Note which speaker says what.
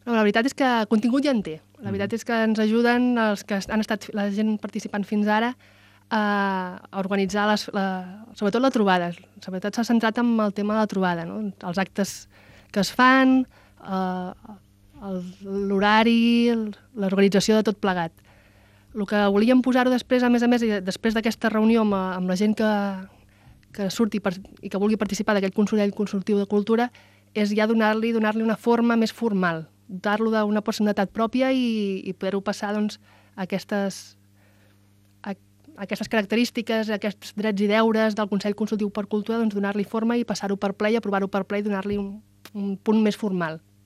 Speaker 1: No, la veritat és que contingut ja en té. La veritat és que ens ajuden els que han estat la gent participant fins ara a organitzar sobretot la trobada. Sobretot s'ha centrat en el tema de la trobada, no? Els actes que es fan, l'horari, l'organització de tot plegat. El que volíem posar-ho després, a més, després d'aquesta reunió amb la gent que surti i que vulgui participar d'aquest Consell Consultiu de Cultura, és ja donar-li una forma més formal, dotar-lo d'una personalitat pròpia i poder-ho passar doncs, a aquestes característiques, a aquests drets i deures del Consell Consultiu per Cultura, doncs donar-li forma i passar-ho per ple i aprovar-ho per ple i donar-li un punt més formal.